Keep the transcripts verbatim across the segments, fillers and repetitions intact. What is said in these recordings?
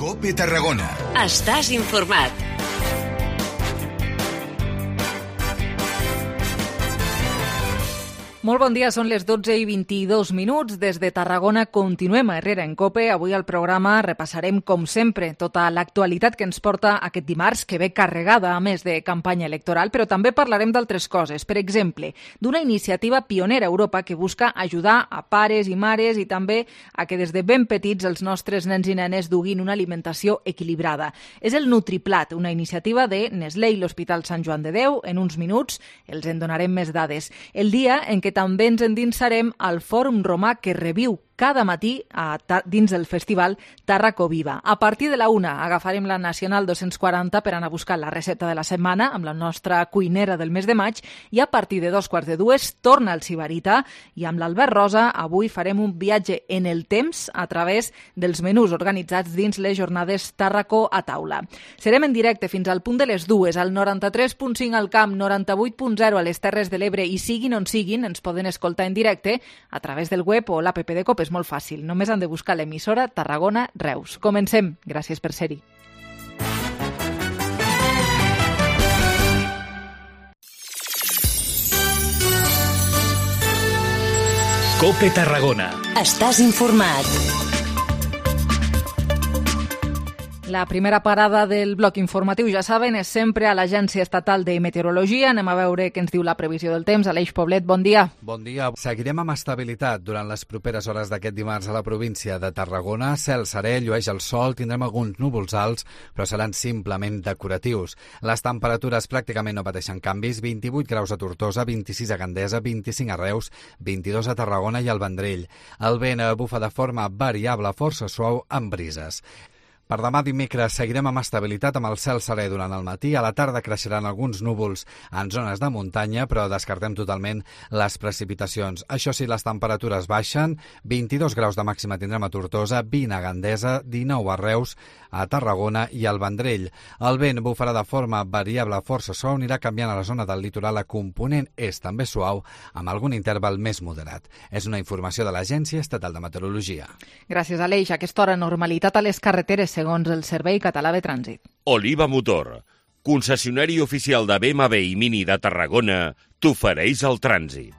COPE Tarragona. Estàs informat. Molt bon dia, són les dotze i vint-i-dos minuts. Des de Tarragona continuem a Herrera en COPE. Avui al programa repassarem, com sempre, tota l'actualitat que ens porta aquest dimarts, que ve carregada, a més de campanya electoral, però també parlarem d'altres coses. Per exemple, d'una iniciativa pionera a Europa que busca ajudar a pares i mares i també a que des de ben petits els nostres nens i nenes duguin una alimentació equilibrada. És el Nutriplat, una iniciativa de Nestlé i l'Hospital Sant Joan de Déu. En uns minuts els en donarem més dades. El dia en què també ens endinsarem al Fòrum Romà que reviu cada matí a, dins del festival Tàrraco Viva. A partir de la una agafarem la Nacional dos-cents quaranta per anar a buscar la recepta de la setmana amb la nostra cuinera del mes de maig i a partir de dos quarts de dues torna el Sibarita i amb l'Albert Rosa avui farem un viatge en el temps a través dels menús organitzats dins les jornades Tàrraco a taula. Serem en directe fins al punt de les dues al noranta-tres punt cinc al Camp, noranta-vuit punt zero a les Terres de l'Ebre i siguin on siguin, ens poden escoltar en directe a través del web o l'app de COPE. És molt fàcil, només han de buscar l'emissora Tarragona Reus. Comencem. Gràcies per ser-hi. COPE Tarragona. Estàs informat. La primera parada del bloc informatiu, ja saben, és sempre a l'Agència Estatal de Meteorologia. Anem a veure què ens diu la previsió del temps. Aleix Poblet, bon dia. Bon dia. Seguirem amb estabilitat durant les properes hores d'aquest dimarts a la província de Tarragona. Cel serè, llueix el sol, tindrem alguns núvols alts, però seran simplement decoratius. Les temperatures pràcticament no pateixen canvis. vint-i-vuit graus a Tortosa, vint-i-sis a Gandesa, vint-i-cinc a Reus, vint-i-dos a Tarragona i al Vendrell. El vent bufa de forma variable, força suau, amb brises. Per demà dimecres seguirem amb estabilitat amb el cel serè durant el matí. A la tarda creixeran alguns núvols en zones de muntanya, però descartem totalment les precipitacions. Això sí, les temperatures baixen. vint-i-dos graus de màxima tindrem a Tortosa, vint a Gandesa, dinou a Reus, a Tarragona i al Vendrell. El vent bufarà de forma variable, força suau, anirà canviant a la zona del litoral a component és també suau, amb algun interval més moderat. És una informació de l'Agència Estatal de Meteorologia. Gràcies, Aleix. A aquesta hora, normalitat a les carreteres, segons el Servei Català de Trànsit. Oliva Motor, concessionari oficial de B M W i Mini de Tarragona, t'ofereix el trànsit.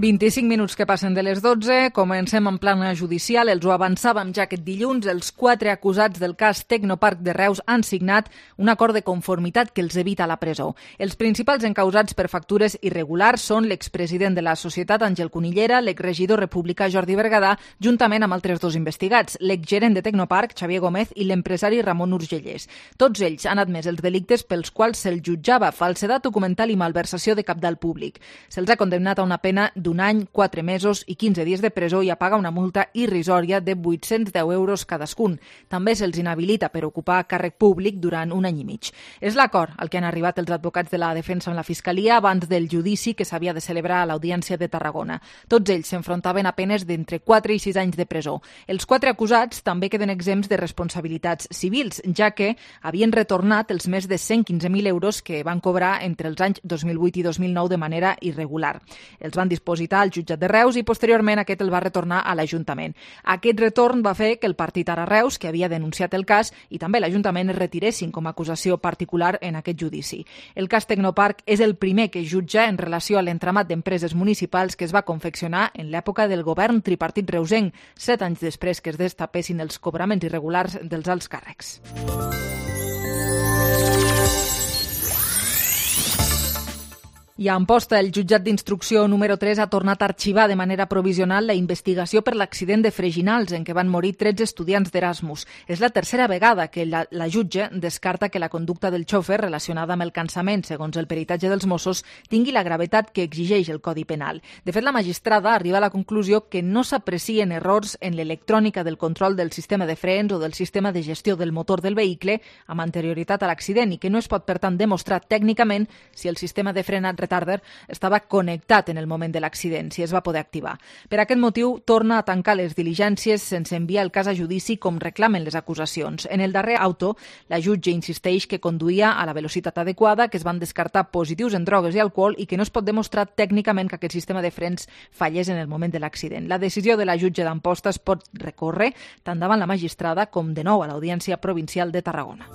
vint-i-cinc minuts que passen de les dotze, comencem en plana judicial, els ho avançàvem ja aquest dilluns, els quatre acusats del cas Tecnoparc de Reus han signat un acord de conformitat que els evita la presó. Els principals encausats per factures irregulars són l'expresident de la societat Àngel Cunillera, l'exregidor republicà Jordi Bergadà, juntament amb altres dos investigats, l'exgerent de Tecnoparc, Xavier Gómez, i l'empresari Ramon Urgellés. Tots ells han admès els delictes pels quals se'ls jutjava falsedat documental i malversació de cabdal públic. Se'ls ha condemnat a una pena d'un any, quatre mesos i quinze dies de presó i a pagar una multa irrisòria de vuit-cents deu euros cadascun. També se'ls inhabilita per ocupar càrrec públic durant un any i mig. És l'acord al que han arribat els advocats de la defensa amb la Fiscalia abans del judici que s'havia de celebrar a l'Audiència de Tarragona. Tots ells s'enfrontaven a penes d'entre quatre i sis anys de presó. Els quatre acusats també queden exempts de responsabilitats civils, ja que havien retornat els més de cent quinze mil euros que van cobrar entre els anys dos mil vuit i dos mil nou de manera irregular. Els van disposar al jutjat de Reus i posteriorment aquest el va retornar a l'Ajuntament. Aquest retorn va fer que el partit Ara Reus, que havia denunciat el cas, i també l'Ajuntament es retiressin com a acusació particular en aquest judici. El cas Tecnoparc és el primer que jutja en relació a l'entramat d'empreses municipals que es va confeccionar en l'època del govern tripartit reusenc, set anys després que es destapessin els cobraments irregulars dels alts càrrecs. I a Amposta, el jutjat d'instrucció número tres ha tornat a arxivar de manera provisional la investigació per l'accident de Freginals en què van morir tretze estudiants d'Erasmus. És la tercera vegada que la, la jutge descarta que la conducta del xòfer relacionada amb el cansament, segons el peritatge dels Mossos, tingui la gravetat que exigeix el Codi Penal. De fet, la magistrada arriba a la conclusió que no s'aprecien errors en l'electrònica del control del sistema de frens o del sistema de gestió del motor del vehicle amb anterioritat a l'accident i que no es pot, per tant, demostrar tècnicament si el sistema de frenat petarder estava connectat en el moment de l'accident, si es va poder activar. Per aquest motiu, torna a tancar les diligències sense enviar el cas a judici com reclamen les acusacions. En el darrer auto, la jutge insisteix que conduïa a la velocitat adequada, que es van descartar positius en drogues i alcohol i que no es pot demostrar tècnicament que aquest sistema de frens fallés en el moment de l'accident. La decisió de la jutge d'Amposta es pot recórrer tant davant la magistrada com de nou a l'Audiència Provincial de Tarragona.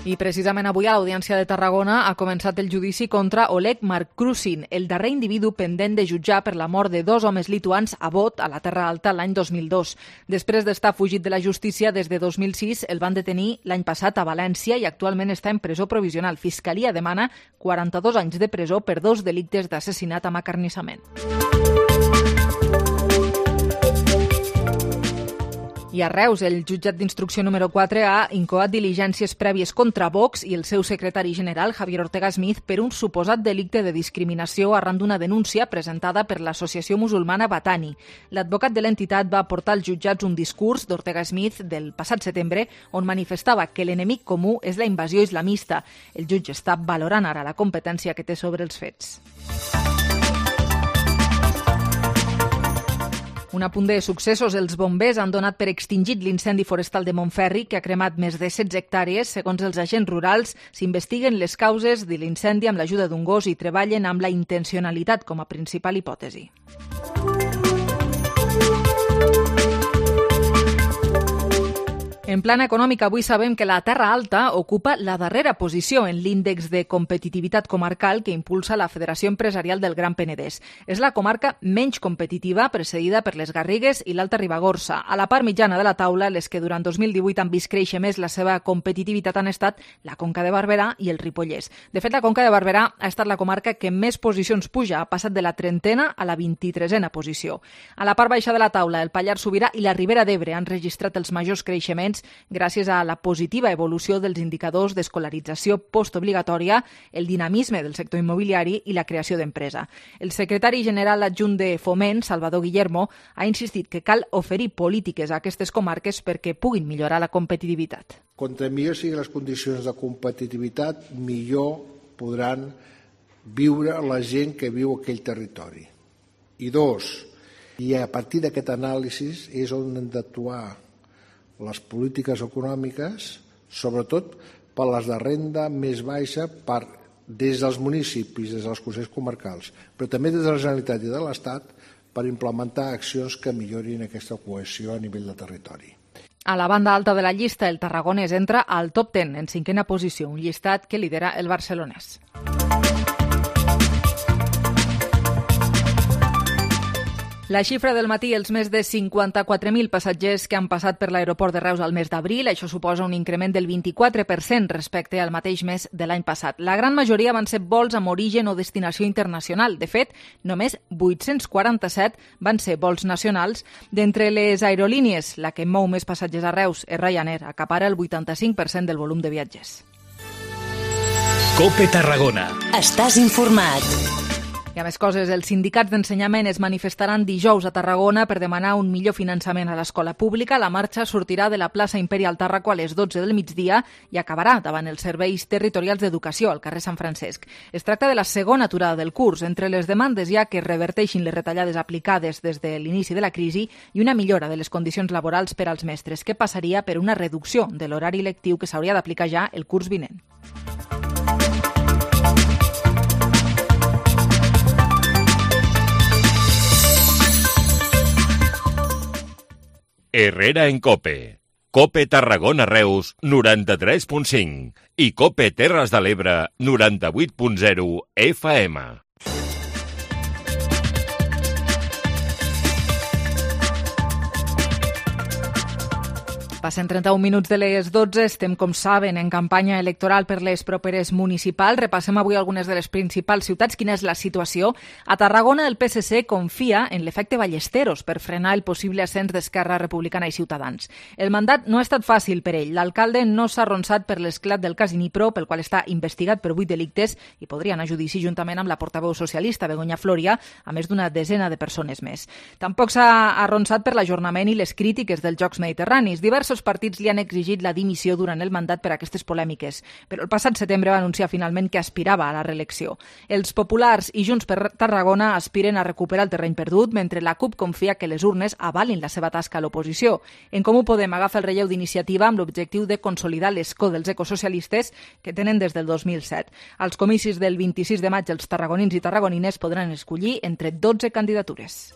I precisament avui a l'Audiència de Tarragona ha començat el judici contra Oleg Markrusin, el darrer individu pendent de jutjar per la mort de dos homes lituans a Bot, a la Terra Alta, l'any dos mil dos. Després d'estar fugit de la justícia des de dos mil sis, el van detenir l'any passat a València i actualment està en presó provisional. Fiscalia demana quaranta-dos anys de presó per dos delictes d'assassinat amb acarnissament. I a Reus, el jutjat d'instrucció número quatre ha incoat diligències prèvies contra Vox i el seu secretari general, Javier Ortega Smith, per un suposat delicte de discriminació arran d'una denúncia presentada per l'associació musulmana Batani. L'advocat de l'entitat va aportar als jutjats un discurs d'Ortega Smith del passat setembre on manifestava que l'enemic comú és la invasió islamista. El jutge està valorant ara la competència que té sobre els fets. Un apunt de successos. Els bombers han donat per extingit l'incendi forestal de Montferri, que ha cremat més de setze hectàrees. Segons els agents rurals, s'investiguen les causes de l'incendi amb l'ajuda d'un gos i treballen amb la intencionalitat com a principal hipòtesi. En plana econòmica, avui sabem que la Terra Alta ocupa la darrera posició en l'índex de competitivitat comarcal que impulsa la Federació Empresarial del Gran Penedès. És la comarca menys competitiva, precedida per les Garrigues i l'Alta Ribagorça. A la part mitjana de la taula, les que durant dos mil divuit han vist créixer més la seva competitivitat han estat la Conca de Barberà i el Ripollès. De fet, la Conca de Barberà ha estat la comarca que més posicions puja, ha passat de la trentena a la vint-i-tresena posició. A la part baixa de la taula, el Pallars Sobirà i la Ribera d'Ebre han registrat els majors creixements gràcies a la positiva evolució dels indicadors d'escolarització postobligatòria, el dinamisme del sector immobiliari i la creació d'empresa. El secretari general adjunt de Foment, Salvador Guillermo, ha insistit que cal oferir polítiques a aquestes comarques perquè puguin millorar la competitivitat. Contra millor siguin les condicions de competitivitat, millor podran viure la gent que viu a aquell territori. I dos, i a partir d'aquest anàlisi és on hem d'actuar les polítiques econòmiques, sobretot per les de renda més baixa, per, des dels municipis, des dels consells comarcals, però també des de la Generalitat i de l'Estat, per implementar accions que millorin aquesta cohesió a nivell de territori. A la banda alta de la llista, el tarragonès entra al top deu, en cinquena posició, un llistat que lidera el barcelonès. La xifra del matí, els més de cinquanta-quatre mil passatgers que han passat per l'aeroport de Reus al mes d'abril, això suposa un increment del vint-i-quatre per cent respecte al mateix mes de l'any passat. La gran majoria van ser vols amb origen o destinació internacional. De fet, només vuit-cents quaranta-set van ser vols nacionals. D'entre les aerolínies, la que mou més passatgers a Reus és Ryanair, acapara el vuitanta-cinc per cent del volum de viatgers. COPE Tarragona. Estàs informat. I a més coses, els sindicats d'ensenyament es manifestaran dijous a Tarragona per demanar un millor finançament a l'escola pública. La marxa sortirà de la plaça Imperial Tàrraco a les dotze del migdia i acabarà davant els serveis territorials d'educació al carrer Sant Francesc. Es tracta de la segona aturada del curs. Entre les demandes hi ha que reverteixin les retallades aplicades des de l'inici de la crisi i una millora de les condicions laborals per als mestres, que passaria per una reducció de l'horari lectiu que s'hauria d'aplicar ja el curs vinent. Herrera en COPE. COPE Tarragona Reus noranta-tres punt cinc i COPE Terres de l'Ebre noranta-vuit punt zero F M. Passen trenta-un minuts de les dotze, estem, com saben, en campanya electoral per les properes municipals. Repassem avui algunes de les principals ciutats. Quina és la situació? A Tarragona, el P S C confia en l'efecte Ballesteros per frenar el possible ascens d'Esquerra Republicana i Ciutadans. El mandat no ha estat fàcil per ell. L'alcalde no s'ha arronsat per l'esclat del cas Inipro, pel qual està investigat per vuit delictes i podria anar a judici juntament amb la portaveu socialista, Begoña Floria, a més d'una desena de persones més. Tampoc s'ha arronsat per l'ajornament i les crítiques dels Jocs Mediterranis. Diversos diversos partits li han exigit la dimissió durant el mandat per aquestes polèmiques, però el passat setembre va anunciar finalment que aspirava a la reelecció. Els populars i Junts per Tarragona aspiren a recuperar el terreny perdut, mentre la CUP confia que les urnes avalin la seva tasca a l'oposició. En Comú Podem agafa el relleu d'iniciativa amb l'objectiu de consolidar l'escó dels ecosocialistes que tenen des del dos mil set. Als comicis del vint-i-sis de maig, els tarragonins i tarragonines podran escollir entre dotze candidatures.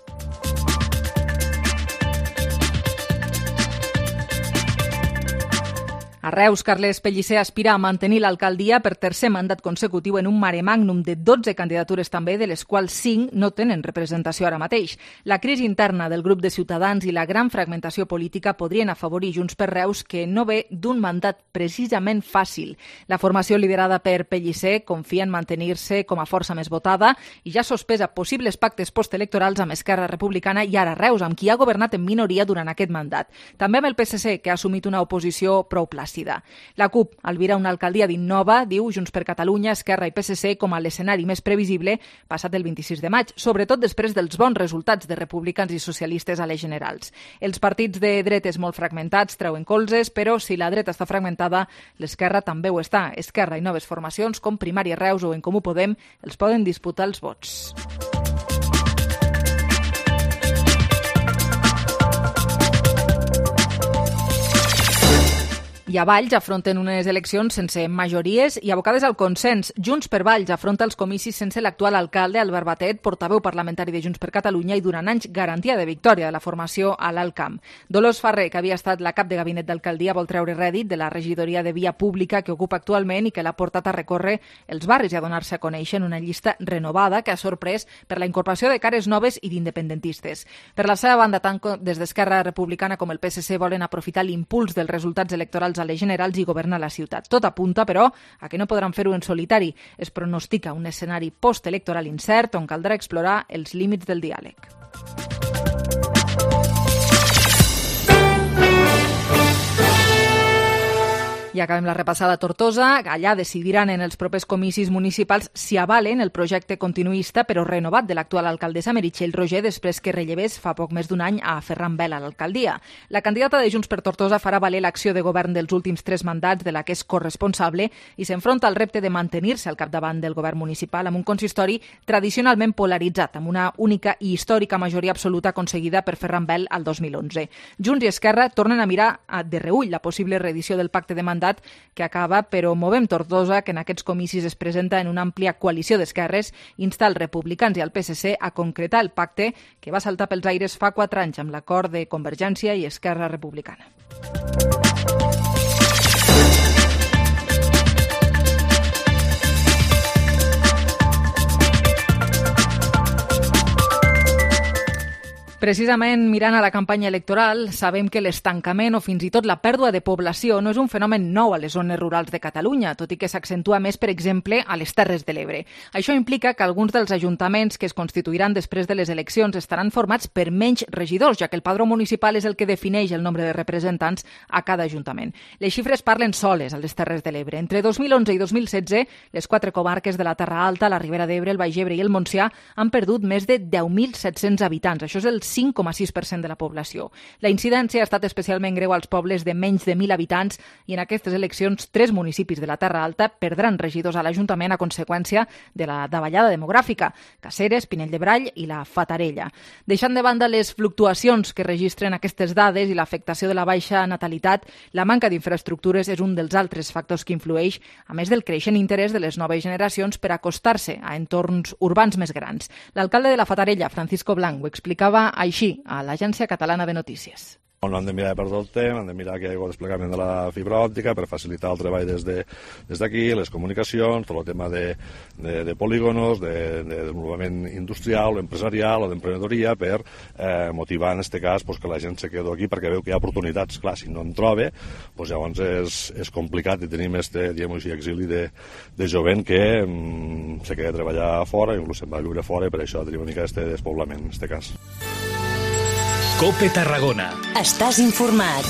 A Reus, Carles Pellicer aspira a mantenir l'alcaldia per tercer mandat consecutiu en un mare magnum de dotze candidatures també, de les quals cinc no tenen representació ara mateix. La crisi interna del grup de Ciutadans i la gran fragmentació política podrien afavorir Junts per Reus, que no ve d'un mandat precisament fàcil. La formació liderada per Pellicer confia en mantenir-se com a força més votada i ja sospesa possibles pactes postelectorals amb Esquerra Republicana i ara Reus, amb qui ha governat en minoria durant aquest mandat. També amb el P S C, que ha assumit una oposició prou plàcida. La CUP albira una alcaldia d'innova, diu Junts per Catalunya, Esquerra i P S C com a l'escenari més previsible passat el vint-i-sis de maig, sobretot després dels bons resultats de republicans i socialistes a les generals. Els partits de dretes molt fragmentats treuen colzes, però si la dreta està fragmentada, l'esquerra també ho està. Esquerra i noves formacions, com Primària Reus o En Comú Podem, els poden disputar els vots. I a Valls afronten unes eleccions sense majories i abocades al consens. Junts per Valls afronta els comicis sense l'actual alcalde, Albert Batet, portaveu parlamentari de Junts per Catalunya i durant anys garantia de victòria de la formació a l'Alt Camp. Dolors Ferrer, que havia estat la cap de gabinet d'alcaldia, vol treure rèdit de la regidoria de via pública que ocupa actualment i que l'ha portat a recórrer els barris i a donar-se a conèixer en una llista renovada que ha sorprès per la incorporació de cares noves i d'independentistes. Per la seva banda, tant des d'Esquerra Republicana com el P S C volen aprofitar l'impuls dels resultats electorals a les generals i governar la ciutat. Tot apunta, però, a que no podran fer-ho en solitari. Es pronostica un escenari postelectoral incert on caldrà explorar els límits del diàleg. I acabem la repassada a Tortosa. Allà decidiran en els propers comicis municipals si avalen el projecte continuista però renovat de l'actual alcaldessa Meritxell Roger després que rellevés fa poc més d'un any a Ferran Vela a l'alcaldia. La candidata de Junts per Tortosa farà valer l'acció de govern dels últims tres mandats de la que és corresponsable i s'enfronta al repte de mantenir-se al capdavant del govern municipal amb un consistori tradicionalment polaritzat, amb una única i històrica majoria absoluta aconseguida per Ferran Vela al dos mil onze. Junts i Esquerra tornen a mirar de reüll la possible reedició del pacte de mandat que acaba, però Movem Tortosa, que en aquests comicis es presenta en una àmplia coalició d'esquerres, insta els republicans i el P S C a concretar el pacte que va saltar pels aires fa quatre anys amb l'acord de Convergència i Esquerra Republicana. Precisament mirant a la campanya electoral, sabem que l'estancament o fins i tot la pèrdua de població no és un fenomen nou a les zones rurals de Catalunya, tot i que s'accentua més, per exemple, a les Terres de l'Ebre. Això implica que alguns dels ajuntaments que es constituiran després de les eleccions estaran formats per menys regidors, ja que el padró municipal és el que defineix el nombre de representants a cada ajuntament. Les xifres parlen soles a les Terres de l'Ebre. Entre dos mil onze i dos mil setze, les quatre comarques de la Terra Alta, la Ribera d'Ebre, el Baix Ebre i el Montsià han perdut més de deu mil set-cents habitants. Això és el cinc coma sis per cent de la població. La incidència ha estat especialment greu als pobles de menys de mil habitants i en aquestes eleccions tres municipis de la Terra Alta perdran regidors a l'Ajuntament a conseqüència de la davallada demogràfica: Caceres, Pinell de Brall i la Fatarella. Deixant de banda les fluctuacions que registren aquestes dades i l'afectació de la baixa natalitat, la manca d'infraestructures és un dels altres factors que influeix, a més del creixent interès de les noves generacions per acostar-se a entorns urbans més grans. L'alcalde de la Fatarella, Francisco Blanc, ho explicava així a l'Agència Catalana de Notícies. No hem de mirar per tot el temps, hem de mirar que hi hagi desplegament de la fibra òptica per facilitar el treball des de, des d'aquí, les comunicacions, tot el tema de, de, de polígonos, de, de desenvolupament industrial o empresarial o d'emprenedoria per eh, motivar en aquest cas pues, que la gent se quedi aquí perquè veu que hi ha oportunitats. Clar, si no en troba, pues, llavors és, és complicat i tenim este, diguem així, exili de, de jovent que mm, se queda a treballar fora, inclús se'n va a viure fora i per això tenim una mica este despoblament en aquest cas. COPE Tarragona. Estàs informat.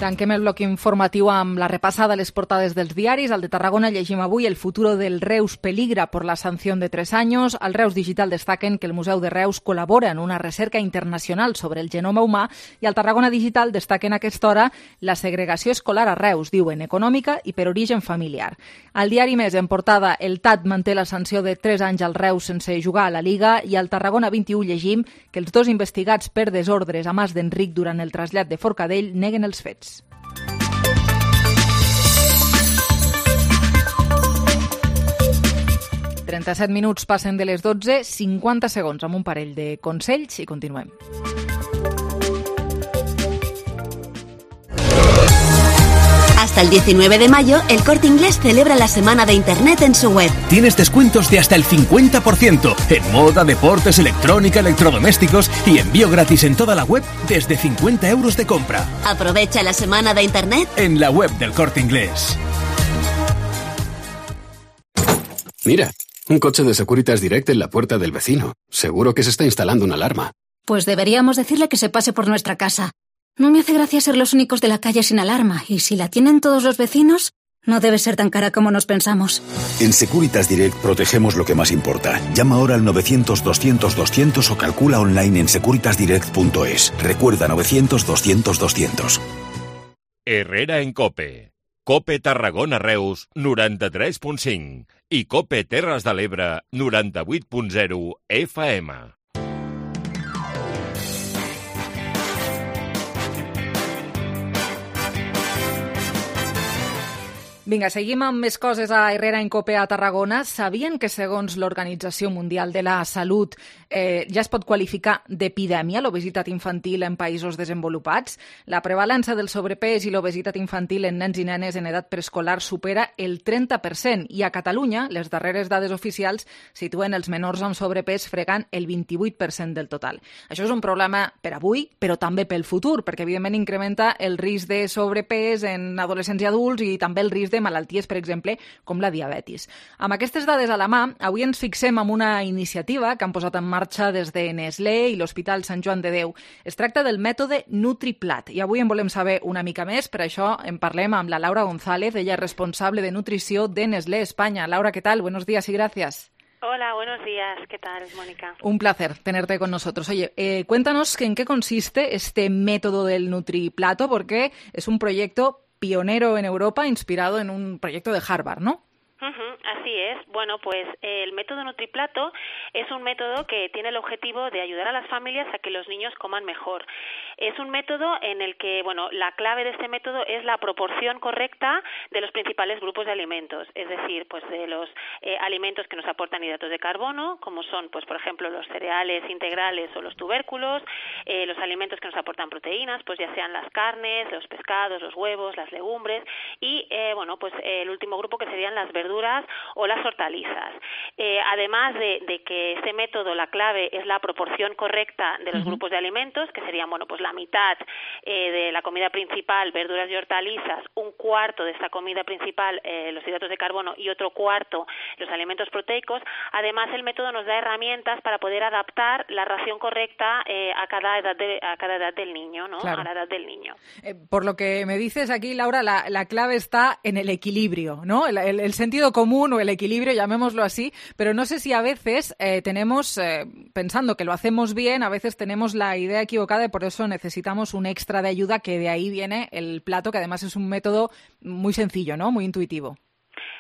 Tanquem el bloc informatiu amb la repassada a les portades dels diaris. Al de Tarragona llegim avui el futuro del Reus peligra por la sanción de tres años. Al Reus Digital destaquen que el Museu de Reus col·labora en una recerca internacional sobre el genoma humà i al Tarragona Digital destaquen a aquesta hora la segregació escolar a Reus, diuen econòmica i per origen familiar. Al diari Més, en portada, el T A T manté la sanció de tres anys al Reus sense jugar a la Lliga i al Tarragona vint i u llegim que els dos investigats per desordres a Mas d'Enric durant el trasllat de Forcadell neguen els fets. trenta-set minuts passen de les dotze, cinquanta segons amb un parell de consells i continuem. Hasta el diecinueve de mayo, el Corte Inglés celebra la semana de Internet en su web. Tienes descuentos de hasta el cincuenta por ciento en moda, deportes, electrónica, electrodomésticos y envío gratis en toda la web desde cincuenta euros de compra. Aprovecha la semana de Internet en la web del Corte Inglés. Mira, un coche de Securitas Direct en la puerta del vecino. Seguro que se está instalando una alarma. Pues deberíamos decirle que se pase por nuestra casa. No me hace gracia ser los únicos de la calle sin alarma, y si la tienen todos los vecinos, no debe ser tan cara como nos pensamos. En Securitas Direct protegemos lo que más importa. Llama ahora al novecientos doscientos doscientos o calcula online en securitas direct punto es. Recuerda novecientos doscientos doscientos. Herrera en COPE. COPE Tarragona Reus noranta-tres punt cinc i COPE Terres de l'Ebre noranta-vuit punt zero F M. Vinga, seguim amb més coses a Herrera en COPE a Tarragona. Sabien que segons l'Organització Mundial de la Salut eh, ja es pot qualificar d'epidèmia l'obesitat infantil en països desenvolupats? La prevalença del sobrepès i l'obesitat infantil en nens i nenes en edat preescolar supera el trenta per cent i a Catalunya les darreres dades oficials situen els menors amb sobrepès fregant el vint-i-vuit per cent del total. Això és un problema per avui, però també pel futur, perquè evidentment incrementa el risc de sobrepès en adolescents i adults i també el risc de malalties, per exemple, com la diabetis. Amb aquestes dades a la mà, avui ens fixem en una iniciativa que han posat en marxa des de Nestlé i l'Hospital Sant Joan de Déu. Es tracta del mètode NutriPlat i avui en volem saber una mica més, per això en parlem amb la Laura González, ella és responsable de nutrició de Nestlé España. Laura, ¿qué tal? Buenos días y gracias. Hola, buenos días. ¿Qué tal, Mónica? Un placer tenerte con nosotros. Oye, eh, cuéntanos en qué consiste este método del NutriPlato, porque es un proyecto pionero en Europa, inspirado en un proyecto de Harvard, ¿no? Uh-huh, así es. Bueno, pues eh, el método NutriPlato es un método que tiene el objetivo de ayudar a las familias a que los niños coman mejor. Es un método en el que, bueno, la clave de este método es la proporción correcta de los principales grupos de alimentos, es decir, pues de los eh, alimentos que nos aportan hidratos de carbono, como son, pues por ejemplo, los cereales integrales o los tubérculos, eh, los alimentos que nos aportan proteínas, pues ya sean las carnes, los pescados, los huevos, las legumbres y, eh, bueno, pues eh, el último grupo que serían las verduras o las hortalizas. Eh, además de, de que este método, la clave es la proporción correcta de los uh-huh. grupos de alimentos, que serían, bueno, pues la mitad eh, de la comida principal, verduras y hortalizas, un cuarto de esta comida principal, eh, los hidratos de carbono, y otro cuarto los alimentos proteicos. Además, el método nos da herramientas para poder adaptar la ración correcta eh, a cada edad de, a cada edad del niño, ¿no? Claro. A la edad del niño. Eh, por lo que me dices aquí, Laura, la, la clave está en el equilibrio, ¿no? El, el, el sentido común o el equilibrio, llamémoslo así, pero no sé si a veces eh, tenemos, eh, pensando que lo hacemos bien, a veces tenemos la idea equivocada y por eso necesitamos un extra de ayuda, que de ahí viene el plato, que además es un método muy sencillo, ¿no? Muy intuitivo.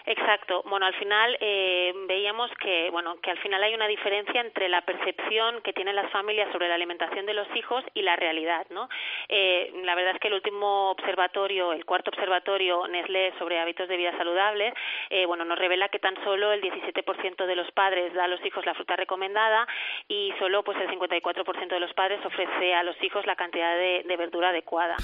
Exacto. Bueno, al final eh, veíamos que, bueno, que al final hay una diferencia entre la percepción que tienen las familias sobre la alimentación de los hijos y la realidad, ¿no? Eh, la verdad es que el último observatorio, el cuarto observatorio Nestlé sobre hábitos de vida saludables, eh, bueno, nos revela que tan solo el diecisiete por ciento de los padres da a los hijos la fruta recomendada y solo pues el cincuenta y cuatro por ciento de los padres ofrece a los hijos la cantidad de, de verdura adecuada.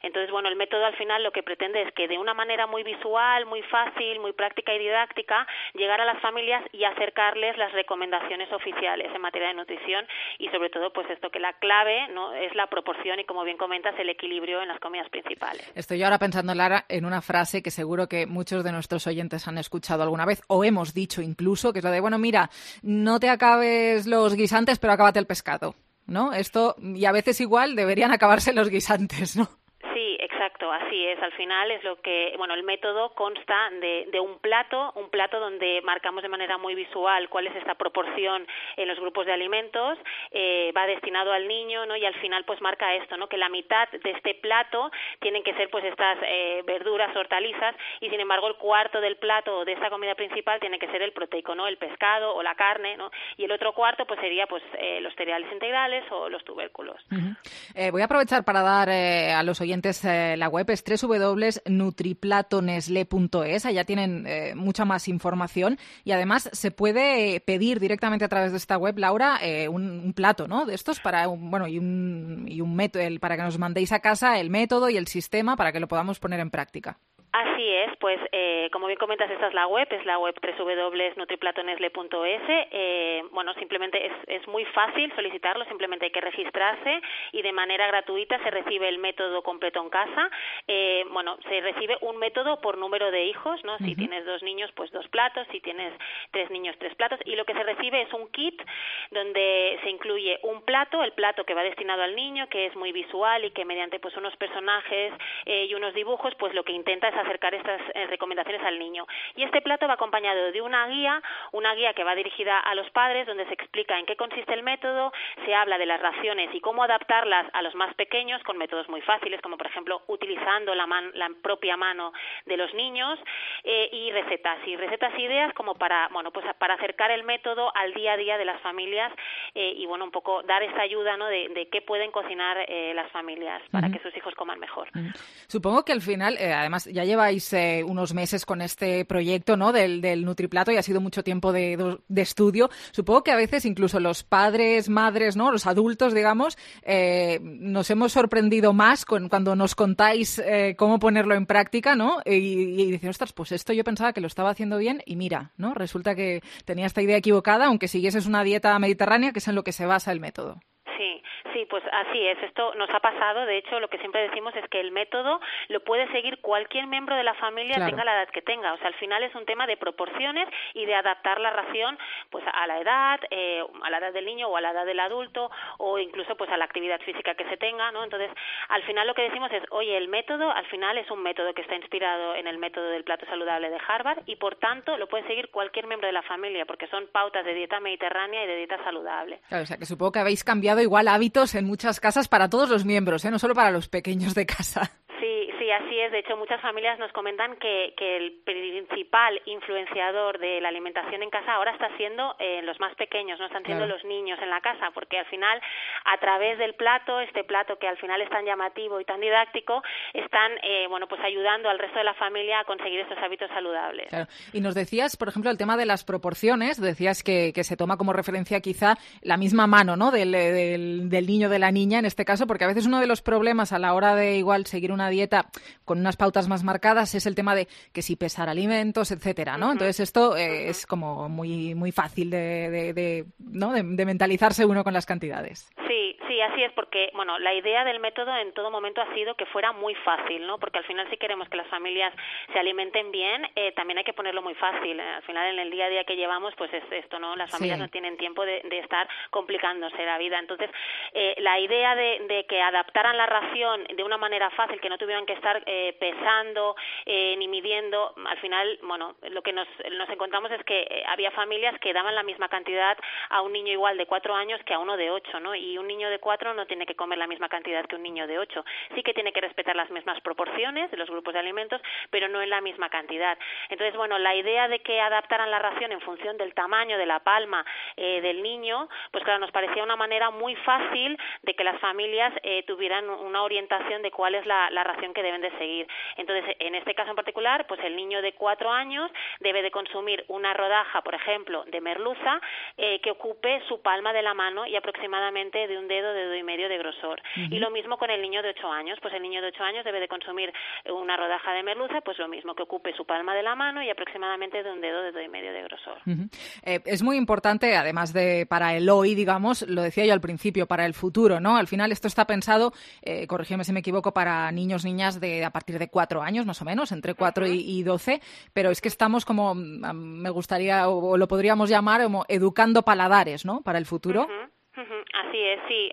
Entonces, bueno, el método al final lo que pretende es que de una manera muy visual, muy fácil, muy práctica y didáctica, llegar a las familias y acercarles las recomendaciones oficiales en materia de nutrición y sobre todo pues esto, que la clave, ¿no?, es la proporción y, como bien comentas, el equilibrio en las comidas principales. Estoy ahora pensando, Lara, en una frase que seguro que muchos de nuestros oyentes han escuchado alguna vez o hemos dicho incluso, que es la de, bueno, mira, no te acabes los guisantes, pero acábate el pescado, ¿no? Esto, y a veces igual deberían acabarse los guisantes, ¿no? Sí, Exacto, así es. Al final es lo que, bueno, el método consta de, de un plato, un plato donde marcamos de manera muy visual cuál es esta proporción en los grupos de alimentos, eh, va destinado al niño, ¿no? Y al final pues marca esto, ¿no? Que la mitad de este plato tienen que ser pues estas eh, verduras, hortalizas, y sin embargo el cuarto del plato de esta comida principal tiene que ser el proteico, ¿no? El pescado o la carne, ¿no? Y el otro cuarto pues sería pues eh, los cereales integrales o los tubérculos. Uh-huh. Eh, voy a aprovechar para dar eh, a los oyentes eh, la web, es doble u doble u doble u punto nutriplatonesle punto es, allá tienen eh, mucha más información y además se puede pedir directamente a través de esta web, Laura, eh, un, un plato, ¿no? De estos para un, bueno, y un, y un método, el, para que nos mandéis a casa el método y el sistema para que lo podamos poner en práctica. Así es, pues eh, como bien comentas, esta es la web, es la web doble u doble u doble u punto nutriplatonesle punto es. Eh, bueno, simplemente es, es muy fácil solicitarlo, simplemente hay que registrarse y de manera gratuita se recibe el método completo en casa. Eh, bueno, se recibe un método por número de hijos, ¿no? Uh-huh. Si tienes dos niños, pues dos platos, si tienes tres niños, tres platos, y lo que se recibe es un kit donde se incluye un plato, el plato que va destinado al niño, que es muy visual y que mediante pues unos personajes eh, y unos dibujos, pues lo que intenta es acercar estas eh, recomendaciones al niño. Y este plato va acompañado de una guía, una guía que va dirigida a los padres, donde se explica en qué consiste el método, se habla de las raciones y cómo adaptarlas a los más pequeños con métodos muy fáciles, como por ejemplo utilizando la, man, la propia mano de los niños, eh, y recetas, y recetas e ideas como para, bueno, pues para acercar el método al día a día de las familias eh, y bueno, un poco dar esa ayuda, ¿no? de, de qué pueden cocinar eh, las familias para uh-huh. que sus hijos coman mejor. Uh-huh. Supongo que al final, eh, además, ya lleváis eh, unos meses con este proyecto, ¿no? Del, del Nutriplato y ha sido mucho tiempo de, de estudio. Supongo que a veces incluso los padres, madres, ¿no? Los adultos, digamos, eh, nos hemos sorprendido más con, cuando nos contáis eh, cómo ponerlo en práctica, ¿no? Y, y dicen, ostras, pues esto yo pensaba que lo estaba haciendo bien y mira, ¿no? Resulta que tenía esta idea equivocada, aunque siguieses una dieta mediterránea, que es en lo que se basa el método. Sí, sí, pues así es. Esto nos ha pasado. De hecho, lo que siempre decimos es que el método lo puede seguir cualquier miembro de la familia, claro, tenga la edad que tenga. O sea, al final es un tema de proporciones y de adaptar la ración pues a la edad, eh, a la edad del niño o a la edad del adulto o incluso pues a la actividad física que se tenga, ¿no? Entonces, al final lo que decimos es, oye, el método al final es un método que está inspirado en el método del plato saludable de Harvard y por tanto lo puede seguir cualquier miembro de la familia porque son pautas de dieta mediterránea y de dieta saludable. Claro, o sea, que supongo que habéis cambiado igual hábitos en muchas casas para todos los miembros, ¿eh? No solo para los pequeños de casa. Sí, sí, así es. De hecho, muchas familias nos comentan que, que el principal influenciador de la alimentación en casa ahora está siendo eh, los más pequeños, no están siendo claro. los niños en la casa, porque al final, a través del plato, este plato que al final es tan llamativo y tan didáctico, están eh, bueno, pues ayudando al resto de la familia a conseguir estos hábitos saludables. Claro. Y nos decías, por ejemplo, el tema de las proporciones, decías que, que se toma como referencia quizá la misma mano, ¿no? Del, del, del niño, de la niña, en este caso, porque a veces uno de los problemas a la hora de igual seguir una dieta con unas pautas más marcadas es el tema de que si pesar alimentos, etcétera, ¿no? Uh-huh. Entonces esto eh, uh-huh. es como muy muy fácil de, de, de, ¿no? de, de mentalizarse uno con las cantidades. Sí, sí, así es, porque bueno, la idea del método en todo momento ha sido que fuera muy fácil, ¿no? Porque al final si queremos que las familias se alimenten bien, eh, también hay que ponerlo muy fácil. Al final en el día a día que llevamos, pues es esto, ¿no? Las familias sí. no tienen tiempo de, de estar complicándose la vida. Entonces, eh, la idea de, de que adaptaran la ración de una manera fácil, que no tuvieran que estar eh, pesando eh, ni midiendo, al final, bueno, lo que nos, nos encontramos es que eh, había familias que daban la misma cantidad a un niño igual de cuatro años que a uno de ocho, ¿no? Y un niño de cuatro no tiene que comer la misma cantidad que un niño de ocho. Sí que tiene que respetar las mismas proporciones de los grupos de alimentos, pero no en la misma cantidad. Entonces, bueno, la idea de que adaptaran la ración en función del tamaño de la palma eh, del niño, pues claro, nos parecía una manera muy fácil de que las familias eh, tuvieran una orientación de cuál es la, la ración que deben de seguir. Entonces, en este caso en particular, pues el niño de cuatro años debe de consumir una rodaja, por ejemplo, de merluza eh, que ocupe su palma de la mano y aproximadamente de un dedo, dedo y medio de grosor. Uh-huh. Y lo mismo con el niño de ocho años, pues el niño de ocho años debe de consumir una rodaja de merluza, pues lo mismo, que ocupe su palma de la mano y aproximadamente de un dedo, dedo y medio de grosor. Uh-huh. Eh, es muy importante, además de para el hoy, digamos, lo decía yo al principio, para el futuro, ¿no? Al final esto está pensado, eh, corrígeme si me equivoco, para niños, niñas de a partir de cuatro años, más o menos, entre cuatro uh-huh. y, y doce, pero es que estamos como, me gustaría, o, o lo podríamos llamar como educando paladares, ¿no? Para el futuro. Uh-huh. Así es, sí.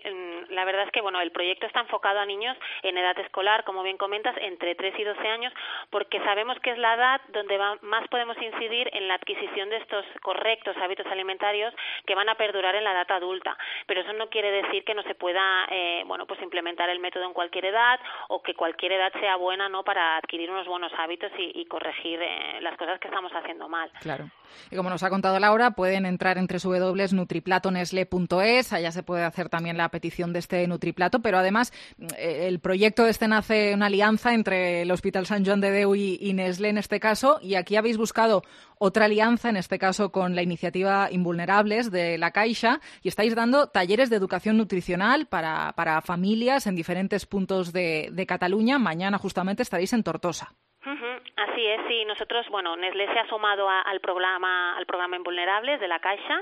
la verdad es que bueno, el proyecto está enfocado a niños en edad escolar, como bien comentas, entre tres y doce años, porque sabemos que es la edad donde va, más podemos incidir en la adquisición de estos correctos hábitos alimentarios que van a perdurar en la edad adulta. Pero eso no quiere decir que no se pueda eh, bueno, pues implementar el método en cualquier edad o que cualquier edad sea buena, ¿no?, para adquirir unos buenos hábitos y, y corregir eh, las cosas que estamos haciendo mal. Claro. Y como nos ha contado Laura, pueden entrar en doble u doble u doble u punto nutriplato nestlé punto es, allá se puede hacer también la petición de este nutriplato, pero además eh, el proyecto este nace una alianza entre el Hospital Sant Joan de Déu y, y Nestlé en este caso, y aquí habéis buscado otra alianza, en este caso con la iniciativa Invulnerables de la Caixa, y estáis dando talleres de educación nutricional para, para familias en diferentes puntos de, de Cataluña. Mañana justamente estaréis en Tortosa. Uh-huh. Así es, sí. Nosotros, bueno, Nestlé se ha sumado a, al programa al programa Invulnerables de la Caixa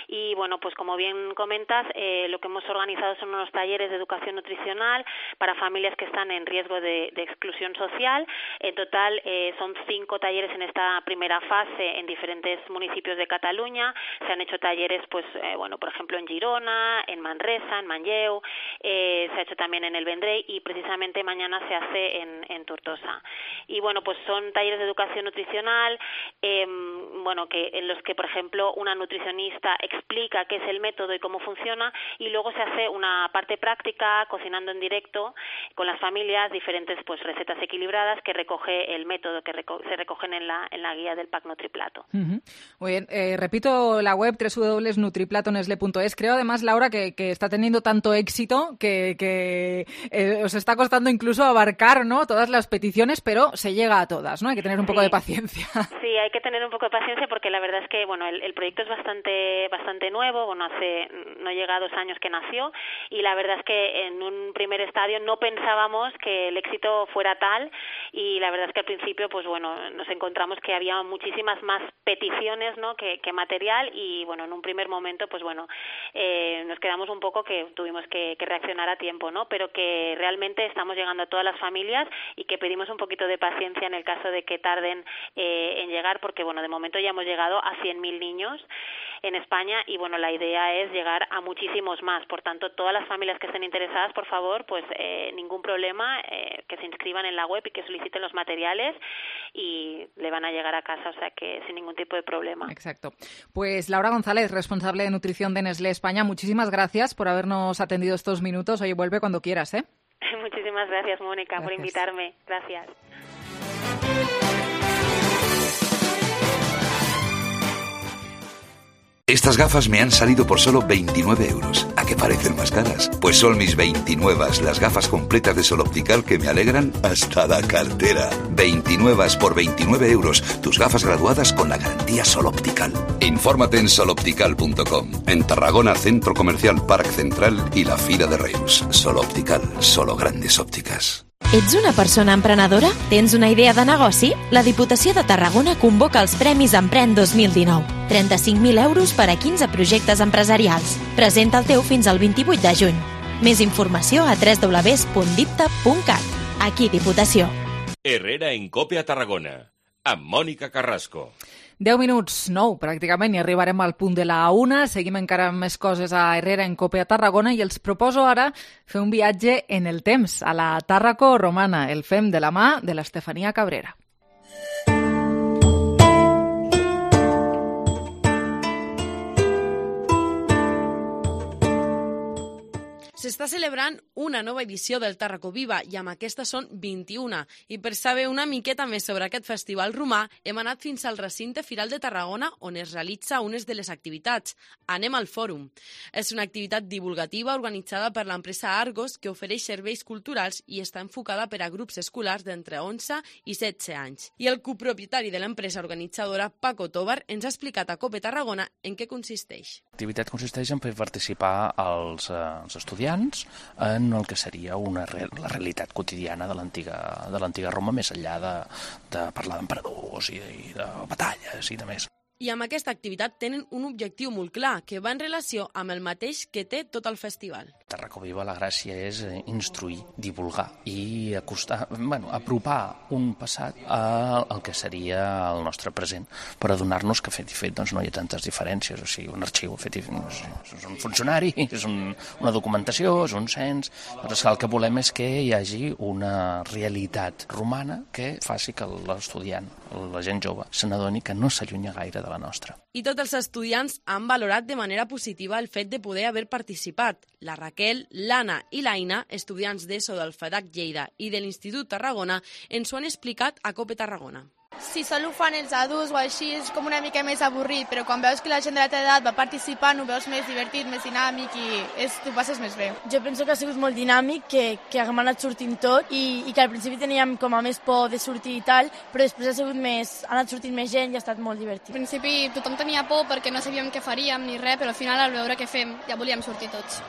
y, bueno, pues como bien comentas, eh, lo que hemos organizado son unos talleres de educación nutricional para familias que están en riesgo de, de exclusión social. En total eh, son cinco talleres en esta primera fase en diferentes municipios de Cataluña. Se han hecho talleres, pues, eh, bueno, por ejemplo, en Girona, en Manresa, en Manlleu, eh, se ha hecho también en el Vendrell y precisamente mañana se hace en, en Tortosa. Y bueno, pues son talleres de educación nutricional, eh, bueno, que en los que, por ejemplo, una nutricionista explica qué es el método y cómo funciona, y luego se hace una parte práctica, cocinando en directo con las familias, diferentes pues recetas equilibradas que recoge el método, que reco- se recogen en la, en la guía del pack Nutriplato. Uh-huh. Muy bien, eh, repito la web doble u doble u doble u punto nutriplato nestlé punto es. Creo además, Laura, que, que está teniendo tanto éxito que, que eh, os está costando incluso abarcar, ¿no?, todas las peticiones, pero se llega a todas, ¿no? Hay que tener un poco sí. de paciencia. Sí, hay que tener un poco de paciencia porque la verdad es que, bueno, el, el proyecto es bastante bastante nuevo, bueno, hace no llega a dos años que nació, y la verdad es que en un primer estadio no pensábamos que el éxito fuera tal, y la verdad es que al principio, pues bueno, nos encontramos que había muchísimas más peticiones, ¿no?, que, que material, y bueno, en un primer momento, pues bueno, eh, nos quedamos un poco que tuvimos que, que reaccionar a tiempo, ¿no?, pero que realmente estamos llegando a todas las familias y que pedimos un poquito de paciencia en el caso de que tarden eh, en llegar, porque bueno, de momento ya hemos llegado a cien mil niños en España y bueno, la idea es llegar a muchísimos más. Por tanto, todas las familias que estén interesadas, por favor, pues eh, ningún problema, eh, que se inscriban en la web y que soliciten los materiales y le van a llegar a casa, o sea que sin ningún tipo de problema. Exacto. Pues Laura González, responsable de nutrición de Nestlé España, muchísimas gracias por habernos atendido estos minutos. Oye, vuelve cuando quieras, ¿eh? Muchísimas gracias, Mónica, gracias. por invitarme. Gracias. Estas gafas me han salido por solo veintinueve euros. ¿A qué parecen más caras? Pues son mis veintinueve, las gafas completas de Sol Optical que me alegran hasta la cartera. veintinueve por veintinueve euros. Tus gafas graduadas con la garantía Sol Optical. Infórmate en sol optical punto com. En Tarragona, Centro Comercial Parc Central i la Fira de Reus. Sol Optical, solo grandes ópticas. Ets una persona emprenedora? Tens una idea de negoci? La Diputació de Tarragona convoca els Premis Empren dos mil dinou. trenta-cinc mil euros per a quinze projectes empresarials. Presenta el teu fins al vint-i-vuit de juny. Més informació a doble u doble u doble u punt dipta punt cat. Aquí Diputació. Herrera en Cope a Tarragona, amb Mònica Carrasco. deu minuts, nou, pràcticament, i arribarem al punt de la una. Seguim encara amb més coses a Herrera en Cope a Tarragona i els proposo ara fer un viatge en el temps, a la Tàrraco romana. El fem de la mà de l'Estefania Cabrera. S'està celebrant una nova edició del Tàrraco Viva i amb aquesta són vint-i-una. I per saber una miqueta més sobre aquest festival romà hem anat fins al recinte Firal de Tarragona on es realitza unes de les activitats. Anem al Fòrum. És una activitat divulgativa organitzada per l'empresa Argos que ofereix serveis culturals i està enfocada per a grups escolars d'entre onze i setze anys. I el copropietari de l'empresa organitzadora, Paco Tobar, ens ha explicat a Cope Tarragona en què consisteix. L'activitat consisteix en fer participar els, eh, els estudiants en el que seria una re la realitat quotidiana de l'antiga de l'antiga Roma, més enllà de, de parlar d'emperadors i, de, i de batalles i de més. I amb aquesta activitat tenen un objectiu molt clar, que va en relació amb el mateix que té tot el festival. Tarraco Viva, la gràcia és instruir, divulgar i acostar, bueno, apropar un passat al que seria el nostre present, per adonar-nos que fet i fet doncs, no hi ha tantes diferències. O sigui, un arxiu fet i fet és un funcionari, és un, una documentació, és un cens, però el que volem és que hi hagi una realitat romana que faci que l'estudiant, la gent jove, se n'adoni que no s'allunya gaire de la nostra. I tots els estudiants han valorat de manera positiva el fet de poder haver participat. La Raquel, l'Anna i l'Aina, estudiants d'ESO del FEDAC Lleida i de l'Institut Tarragona, ens ho han explicat a COPE Tarragona. Si sol ho fan els adults o així és com una mica més avorrit, però quan veus que la gent de la teva edat va participant ho veus més divertit, més dinàmic i és, t'ho passes més bé. Jo penso que ha sigut molt dinàmic, que, que hem anat sortint tot i, i que al principi teníem com a més por de sortir i tal, però després ha sigut més, ha anat sortint més gent i ha estat molt divertit. Al principi tothom tenia por perquè no sabíem què faríem ni res, però al final al veure què fem ja volíem sortir tots.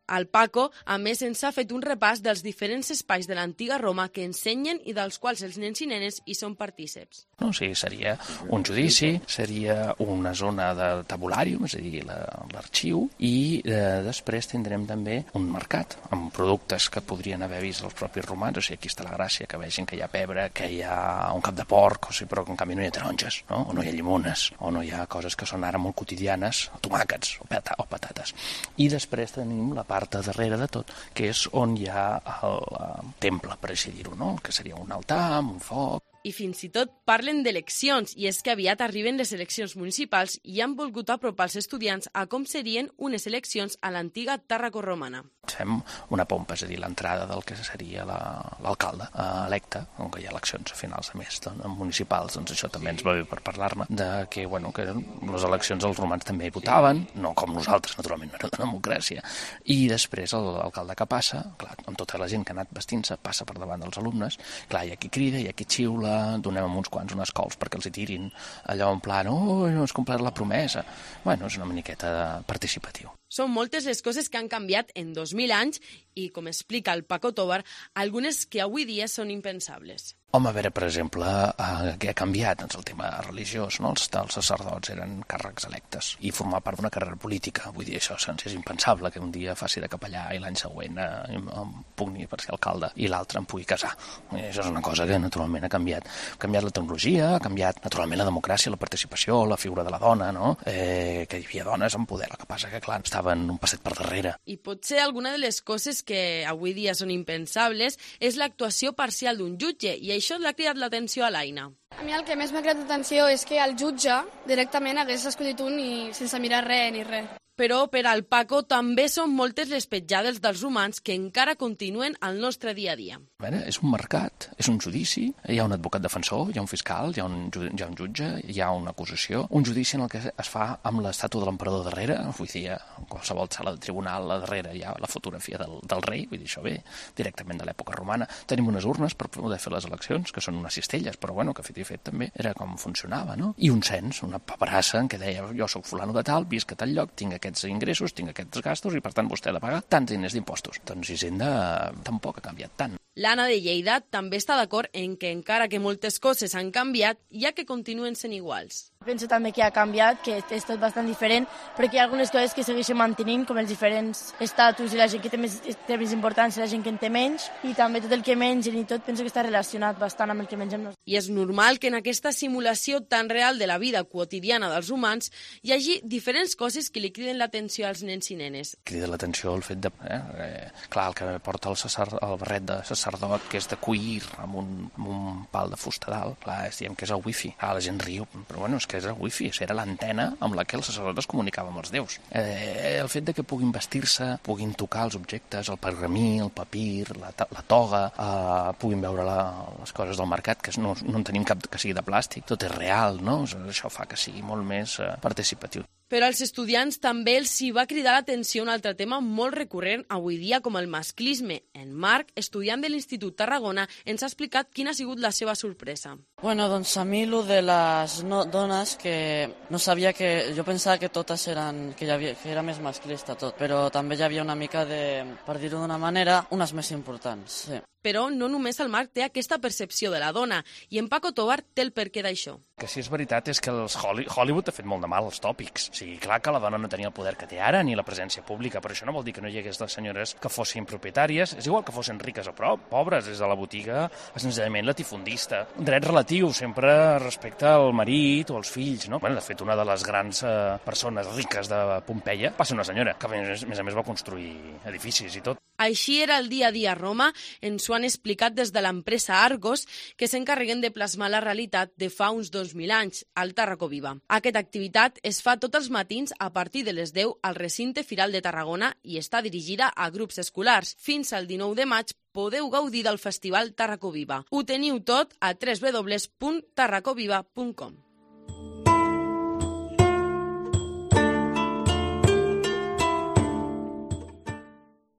El Paco, a més, ens ha fet un repàs dels diferents espais de l'antiga Roma que ensenyen i dels quals els nens i nenes hi són partíceps. No, sí, seria un judici, seria una zona de tabulàrium, és a dir, l'arxiu, i eh, després tindrem també un mercat amb productes que podrien haver vist els propis romans. O sigui, aquí està la gràcia, que vegin que hi ha pebre, que hi ha un cap de porc, o sigui, però que en canvi no hi ha taronges, no? O no hi ha llimones, o no hi ha coses que són ara molt quotidianes, tomàquets o, pata o patates. I després tenim la part part de darrere de tot, que és on hi ha el, el temple, per així dir-ho, no? Que seria un altar, un foc. I fins i tot parlen d'eleccions, i és que aviat arriben les eleccions municipals i han volgut apropar els estudiants a com serien unes eleccions a l'antiga Tàrraco romana. Fem una pompa, és a dir, l'entrada del que seria l'alcalde la, electe, on hi ha eleccions a finals de mes doncs, municipals, doncs això també ens va bé per parlar-ne, de que, bueno, que les eleccions els romans també hi votaven, no com nosaltres, naturalment, no era de democràcia, i després l'alcalde que passa, clar, amb tota la gent que ha anat vestint-se, passa per davant dels alumnes, clar, hi ha qui crida, hi ha qui xiula, donem a uns quants unes cols perquè els hi tirin allò en plan, oh, no has complert la promesa. Bueno, és una miqueta participatiu. Són moltes les coses que han canviat en dos mil anys i, com explica el Paco Tobar, algunes que avui dia són impensables. Home, a veure, per exemple, eh, què ha canviat? Doncs el tema religiós, no? Els, els sacerdots eren càrrecs electes i formar part d'una carrera política. Vull dir, això és impensable que un dia faci de capellà i l'any següent eh, em pugui per ser alcalde i l'altre em pugui casar. I això és una cosa que naturalment ha canviat. Ha canviat la tecnologia, ha canviat naturalment la democràcia, la participació, la figura de la dona, no? Eh, que hi havia dones en poder, el que passa que, clar, estaven un passet per darrere. I potser alguna de les coses que avui dia són impensables és l'actuació parcial d'un jutge, i això l'ha cridat l'atenció a l'Aina. A mi el que més m'ha cridat l'atenció és que el jutge directament hagués escollit un i sense mirar res ni res. Però per al Paco també són moltes les petjades dels romans que encara continuen al nostre dia a dia. A veure, és un mercat, és un judici, hi ha un advocat defensor, hi ha un fiscal, hi ha un, hi ha un jutge, hi ha una acusació, un judici en el que es fa amb l'estàtua de l'emperador darrere, vull dir, en qualsevol sala de tribunal a darrere hi ha la fotografia del, del rei, vull dir, això ve directament de l'època romana. Tenim unes urnes per poder fer les eleccions, que són unes cistelles, però bueno, que fet i fet també era com funcionava, no? I un cens, una paperassa en què deia, jo sóc fulano de tal, visc a tal lloc, tinc aquests ingressos, tinc aquests gastos i per tant vostè ha de pagar tants diners d'impostos. Doncs Hisenda tampoc ha canviat tant. L'Anna de Lleida també està d'acord en que encara que moltes coses han canviat, hi ha que continuen sent iguals. Penso també que ha canviat, que és tot bastant diferent, però que hi ha algunes coses que segueixen mantenint, com els diferents estatus i la gent que té més, té més importància, la gent que en té menys, i també tot el que mengen i tot penso que està relacionat bastant amb el que mengem nosaltres. I és normal que en aquesta simulació tan real de la vida quotidiana dels humans hi hagi diferents coses que li criden l'atenció als nens i nenes. Crida l'atenció el fet de... Eh, eh, clar, el que porta el, sacer, el barret de sacerdot, que és de cuir amb un, amb un pal de fusta dalt, clar, és, diem que és el wifi. Ah, la gent riu, però bueno, és que és el wifi, era l'antena amb la que el sacerdot es comunicava amb els déus. Eh, el fet de que puguin vestir-se, puguin tocar els objectes, el pergamí, el papir, la, la toga, eh, puguin veure la, les coses del mercat, que no, no en tenim cap que sigui de plàstic, tot és real, no? Això fa que sigui molt més eh, participatiu. Però als estudiants també els hi va cridar l'atenció un altre tema molt recurrent avui dia com el masclisme. En Marc, estudiant de l'Institut Tarragona, ens ha explicat quina ha sigut la seva sorpresa. Bueno, doncs a mi lo de les no, dones que no sabia que... Jo pensava que totes eren... Que, hi havia, que era més masclista tot, però també hi havia una mica de, per dir-ho d'una manera, unes més importants, sí. Però no només el Marc té aquesta percepció de la dona, i en Paco Tobar té el perquè d'això. Que sí és veritat és que els Hollywood ha fet molt de mal als tòpics. O sigui, clar que la dona no tenia el poder que té ara, ni la presència pública, però això no vol dir que no hi hagués les senyores que fossin propietàries, és igual que fossin riques o prou, pobres, des de la botiga a senzillament latifundista. Un dret relatiu, sempre respecte al marit o als fills, no? Bueno, de fet, una de les grans eh, persones riques de Pompeia va ser una senyora, que a més a més va construir edificis i tot. Així era el dia a dia a Roma, ens ho han explicat des de l'empresa Argos, que s'encarreguen de plasmar la realitat de fa uns dos mil anys, al Tàrraco Viva. Aquesta activitat es fa tots els matins a partir de les deu al recinte Firal de Tarragona i està dirigida a grups escolars. Fins al dinou de maig podeu gaudir del Festival Tàrraco Viva. Ho teniu tot a w w w punt tarracoviva punt com.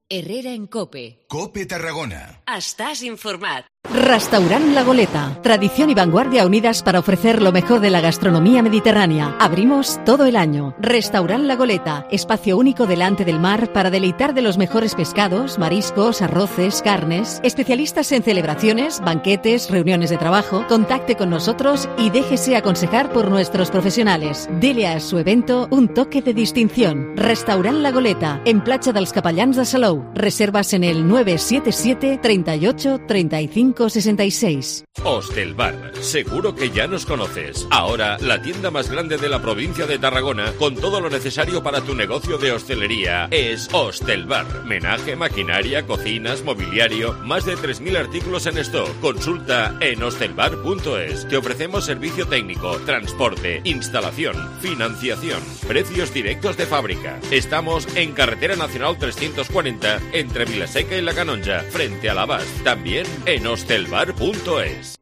Herrera en Cope. Cope Tarragona. Estás informat. Restaurant La Goleta. Tradición y vanguardia unidas para ofrecer lo mejor de la gastronomía mediterránea. Abrimos todo el año. Restaurant La Goleta. Espacio único delante del mar para deleitar de los mejores pescados, mariscos, arroces, carnes. Especialistas en celebraciones, banquetes, reuniones de trabajo. Contacte con nosotros y déjese aconsejar por nuestros profesionales. Dele a su evento un toque de distinción. Restaurant La Goleta. En Platja dels Capellans de Salou. Reservas en el nueve siete siete, treinta y ocho, treinta y cinco sesenta y seis. Hostelbar, seguro que ya nos conoces. Ahora, la tienda más grande de la provincia de Tarragona, con todo lo necesario para tu negocio de hostelería, es Hostelbar. Menaje, maquinaria, cocinas, mobiliario, más de tres mil artículos en stock. Consulta en hostelbar punto es. Te ofrecemos servicio técnico, transporte, instalación, financiación, precios directos de fábrica. Estamos en Carretera Nacional trescientos cuarenta, entre Vilaseca y La Canonja, frente a la Abast. También en hostelbar punto es.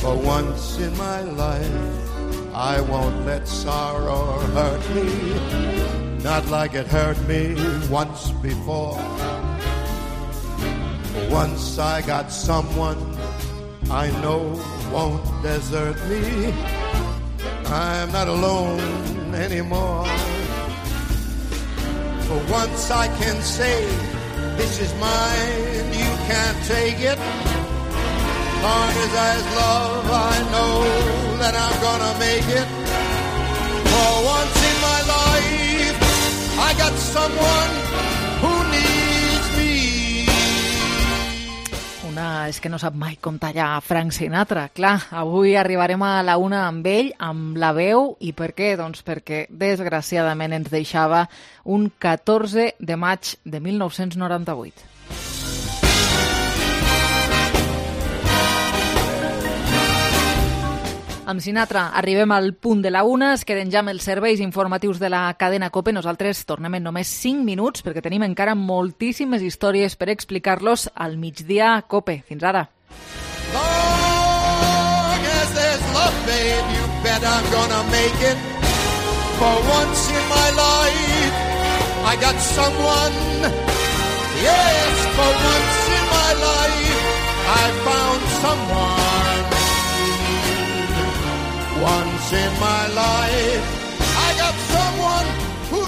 For once in my life, I won't let sorrow hurt me, not like it hurt me once before. For once I got someone I know won't desert me. I'm not alone anymore. For once I can say, this is mine, you can't take it. Long as there's love, I know that I'm gonna make it. For once in my life, I got someone who needs me. Una és que no sap mai com tallar Frank Sinatra. Clar, avui arribarem a la una amb ell, amb la veu. I per què? Doncs perquè, desgraciadament, ens deixava un catorze de maig de mil nou-cents noranta-vuit. Amb Sinatra arribem al punt de la una, es queden ja amb els serveis informatius de la cadena COPE. Nosaltres tornem en només cinc minuts perquè tenim encara moltíssimes històries per explicar-los al migdia COPE. Fins ara. Long as there's love, babe, you bet I'm gonna make it. For once in my life, I got someone. Yes, for once in my life, I found someone. Once in my life, I got someone who